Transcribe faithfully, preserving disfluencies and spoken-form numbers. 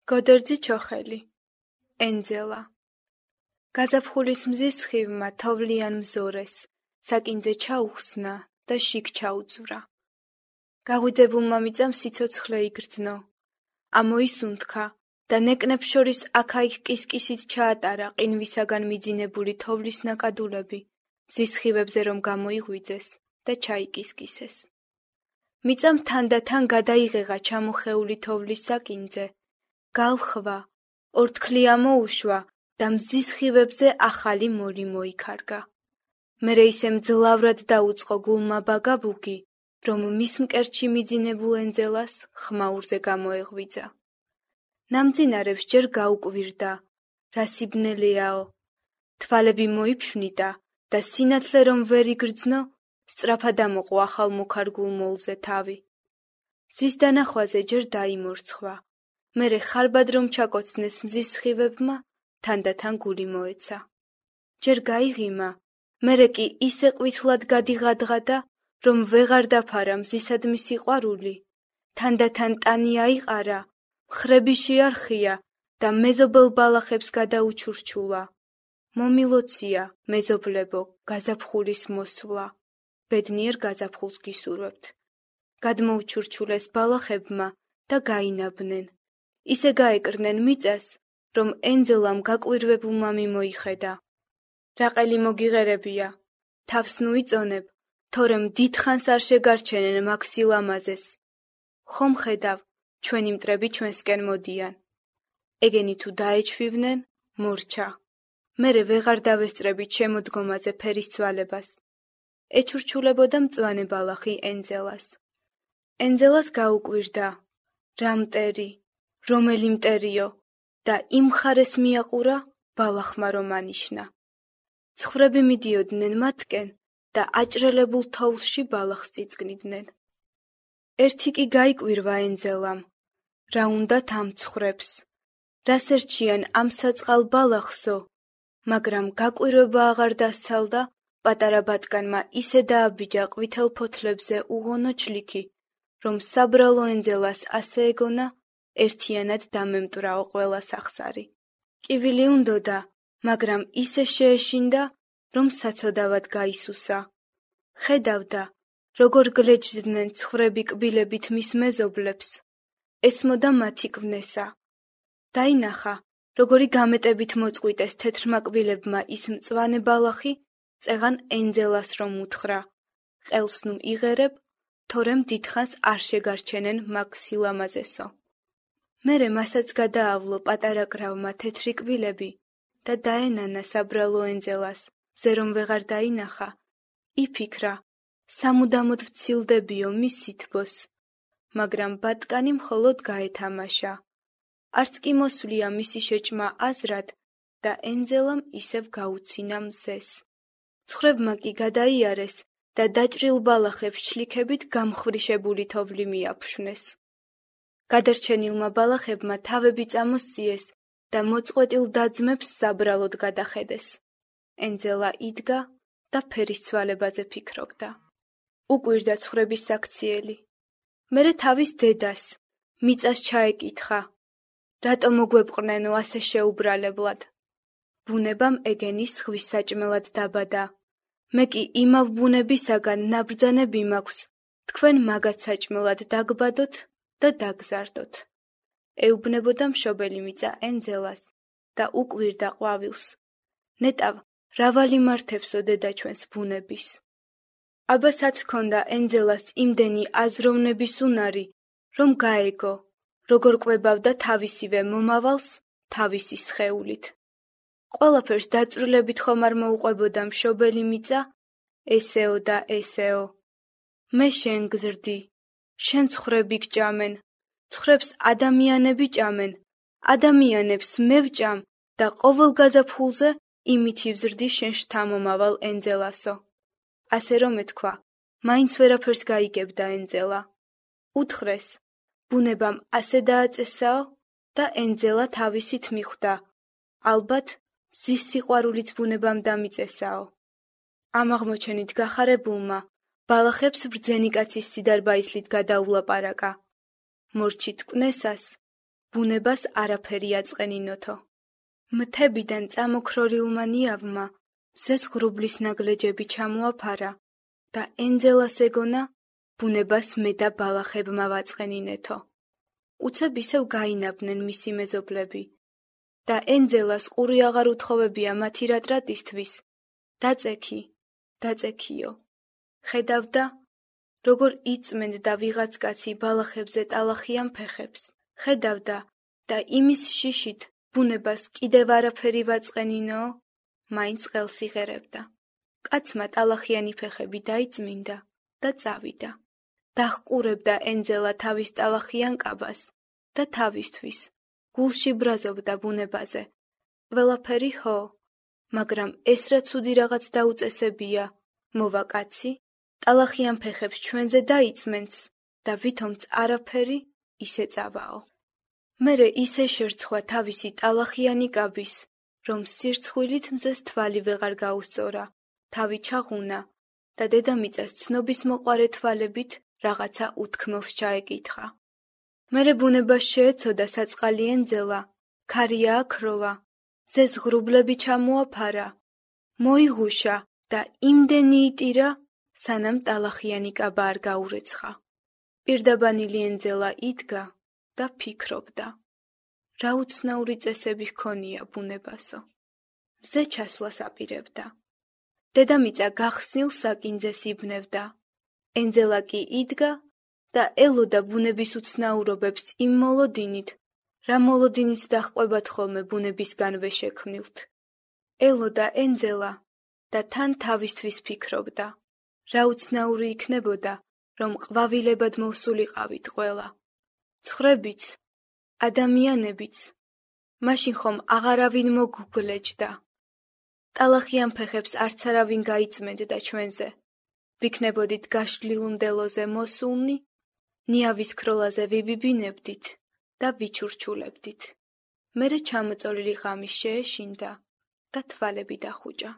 გოდერძი ჩოხელი, ენძელა. გაზაფხულის მზის სხივმა თოვლიან მზორეს, საკინძე ჩაუხსნა და შიგ ჩაუძვრა. გაღვიძებულმა მიწამ სიცოცხლე იგრძნო. ამოისუნთქა და ნეკნებს შორის აქა-იქ კისკისით ჩაატარა ყინვისაგან მიძინებული თოვლის ნაკადულები, მზის სხივებზე რომ გამოიღვიძეს და ჩაიკისკისეს. მიწამ თანდათან გადაიღეღა ჩამოხეული თოვლის საკინძე, გალხვა, ორთქლი ამოუშვა და მზის სხივებზე ახალი მოლი მოიქარგა. მერე ისე მძლავრად დაუწყო გულმა ბაგაბუგი, რომ მის მკერდში მიძინებულ ენძელას ხმაურზე გამოეღვიძა. ნამძინარებს ჯერ გაუკვირდა, რა სიბნელეაო, თვალები მოიფშვნიდა და სინათლე რომ ვერ იგრძნო, სწრაფად ამოყო ახალ მოქარგულ მოლზე თავი. მზის დანახვაზე ჯერ დაიმორცხვა, მერე ხარბად რომ ჩაკოცნეს მზის სხივებმა, თანდათან გული მოეცა. ჯერ გაიღიმა, მერე კი ისე ყვითლად გადიღადღადა, რომ ვეღარ დაფარა მზისადმი სიყვარული, თანდათან ტანი აიყარა, მხრები შეარხია და მეზობელ ბალახებს გადაუჩურჩულა. მომილოცია, მეზობლებო, გაზაფხულის მოსვლა. ბედნიერ გაზაფხულს გისურვებთ. გადმოუჩურჩულეს ბალახებმა და გაინაბნენ. ისე გაეკრნენ მიწას, რომ ენძელამ გაკვირვებულმა მიმოიხედა. რაყელი მოგიღერებია, თავს ნუ იწონებ, თორემ დიდხანს არ შეგარჩენენ მაგ სილამაზეს. ხომ ხედავ, ჩვენი მტრები ჩვენსკენ მოდიან. ეგენი თუ დაეჩვივნენ, მორჩა. მერე ვეღარ დავესწრებით შემოდგომაზე ფერის ცვალებას. ეჩურჩულებოდა მწვანე ბალახი ენძელას. ენძელას გაუკვირდა, რა მტერი, რომელი მტერიო და იმ მხარეს მიაყურა ბალახმა რომ ანიშნა. ცხრები მიდიოდნენ მათკენ და აჭრელებულ თოვლში ბალახს წიწკნიდნენ. ერთი კი გაიკვირვა ენძელამ, რა უნდათ ამ ცხრებს, რას ერჩიან ამ საწყალ ბალახსო, მაგრამ გაკვირვება აღარ დასცალდა, პატარა ბატკანმა ისე დააბიჯა ყვითელ ფოთლებზე უღონო ჩლიქი, რომ საბრალო ენძელას ასე ეგონა, ერთიანად დამემტვრაო ყველა სახსარი. კივილი უნდოდა, მაგრამ ისე შეეშინდა, რომ საცოდავად გაისუსა. ხედავდა, როგორ გლეჯდნენ ცხრები კბილებით მის მეზობლებს, ესმოდა მათი კვნესა. დაინახა, როგორი გამეტებით მოწყვიტეს თეთრმა კბილებმა ის მწვანე ბალახი, წეღან ენძელას რომ უთხრა, ყელს ნუ იღერებ, თორემ დიდხანს არ შეგარჩენენ მაგ სილამაზესო. მერე მასაც გადაავლო პატარა კრავმა თეთრი კბილები და დაენანა საბრალო ენძელას, მზე რომ ვეღარ დაინახა, იფიქრა, სამუდამოდ ვცილდებიო მის სითბოს, მაგრამ ბატკანი მხოლოდ გაეთამაშა. არც კი მოსვლია მისი შეჭმა აზრად და ენძელამ ისევ გაუცინა მზეს. ცხრებმა კი გადაიარეს და დაჭრილ ბალახებს ჩლიქებით გამხვრიშებული თოვლი მიაფშვნეს. გადარჩენილმა ბალახებმა თავები წამოსწიეს და მოწყვეტილ დაძმებს საბრალოდ გადახედეს. ენძელა იდგა და ფერის ცვალებაზე ფიქრობდა. უკვირდა ცხრების საქციელი. მერე თავის დედას, მიწას ჩაეკითხა, რატო მოგვეპყრნენო ასე შეუბრალებლად? ბუნებამ ეგენი ზღვის საჭმელად დაბადა. მე კი იმავ ბუნებისაგან ნაბრძანები მაქვს, თქვენ მაგათ საჭმელად დაგბადოთ და დაგზარდოთ. ეუბნებოდა მშობელი მიწა ენძელას და უკვირდა ყვავილს. ნეტავ, რა ვალიმართებსო დედა ჩვენს ბუნების? აბასაც ჰქონდა ენძელას იმდენი აზროვნების უნარი, რომ გაეგო, როგორ კვებავდა თავისივე მომავალს თავისი სხეულით. ყველაფერს დაწვრილებით ხომ არ მოუყვებოდა მშობელი მიწა, ესეო და ესეო. მე შენ გზრდი, შენ ცხრები გჭამენ, ცხრებს ადამიანები ჭამენ, ადამიანებს მე ვჭამ და ყოველ გაზაფხულზე იმითი ვზრდი შენ შთამომავალ ენძელასო. ასე რომ ეთქვა, მაინც ვერაფერს გაიგებდა ენძელა. უთხრეს, ბუნებამ ასე დააწესაო და ენძელა თავისით მიხვდა, ალბათ მზის სიყვარულიც ბუნებამ დამიწესაო. ამ აღმოჩენით გახარებულმა, ბალახებს ბრძენი კაცის სიდარბაისლით გადაულაპარაკა. მორჩით კვნესას, ბუნებას არაფერი აწყენინოთო. მთებიდან წამოქროილმა ნიავმა მზეს ღრუბლის ნაგლეჯები ჩამოაფარა და ენძელას ეგონა ბუნებას მე და ბალახებმა ვაწყენინეთო. უცებ ისევ გაინაბნენ მისი მეზობლები და ენძელას ყური აღარ უთხოვებია მათი რატრატისთვის. დაწექი, დაწექიო. ხედავდა, როგორ იწმენდა ვიღაც კაცი ბალახებზე ტალახიან ფეხებს. ხედავდა და იმის შიშით ბუნებას კიდევ არაფერი ვაწყენინო, მაინც ყელს იღერებდა. კაცმა ტალახიანი ფეხები დაიწმინდა და წავიდა. დაჰყურებდა ენძელა თავის ტალახიან კაბას და თავისთვის გულში ბრაზობდა ბუნებაზე. ყველაფერი ხო, მაგრამ ეს რა ცუდი რაღაც დაუწესებია, მოვა კაცი, ტალახიან ფეხებს ჩვენზე დაიწმენს და ვითომც არაფერი ისე წავაო. მერე ისე შერცხვა თავისი ტალახიანი კაბის, რომ სირცხვილით მზეს თვალი ვეღარ გაუსწორა, თავი ჩაღუნა და დედამიწას ცნობის მოყარე თვალებით რაღაცა უთქმელს ჩაეკითხა. მერე ბუნებას შეეცოდა საწყალი ენძელა, ქარია აქროლა, მზეს ღრუბლები ჩამოაფარა, მოიღუშა და იმდენი იტირა, სანამ ტალახიანი კაბა არ გაურეცხა. პირდაბანილი ენძელა იდგა და ფიქრობდა. რა უცნაური წესები ჰქონია ბუნებასო. მზე ჩასვლას აპირებდა. დედამიწა გახსნილ საკინძეს იბნევდა. ენძელა კი იდგა და ელოდა ბუნების უცნაურობებს იმ მოლოდინით, რა მოლოდინით დაჰყვებათ ხოლმე ბუნებისგანვე შექმნილთ. ელოდა ენძელა და თან თავისთვის ფიქრობდა. რა უცნაური იქნებოდა, რომ ყვავილებად მოვსულიყავით ყველა. ცხრებიც, ადამიანებიც, მაშინ ხომ აღარავინ მოგგვეჯდა. ტალახიან ფეხებს არც არავინ გაიწმენდა ჩვენზე. ვიქნებოდით გაშლილ მდელოზე მოსულნი, ნიავის ქროლაზე ვიბიბინებდით და ვიჩურჩულებდით. მერე ჩამოწოლილი ღამი შეეშინდა და თვალები დახუჭა.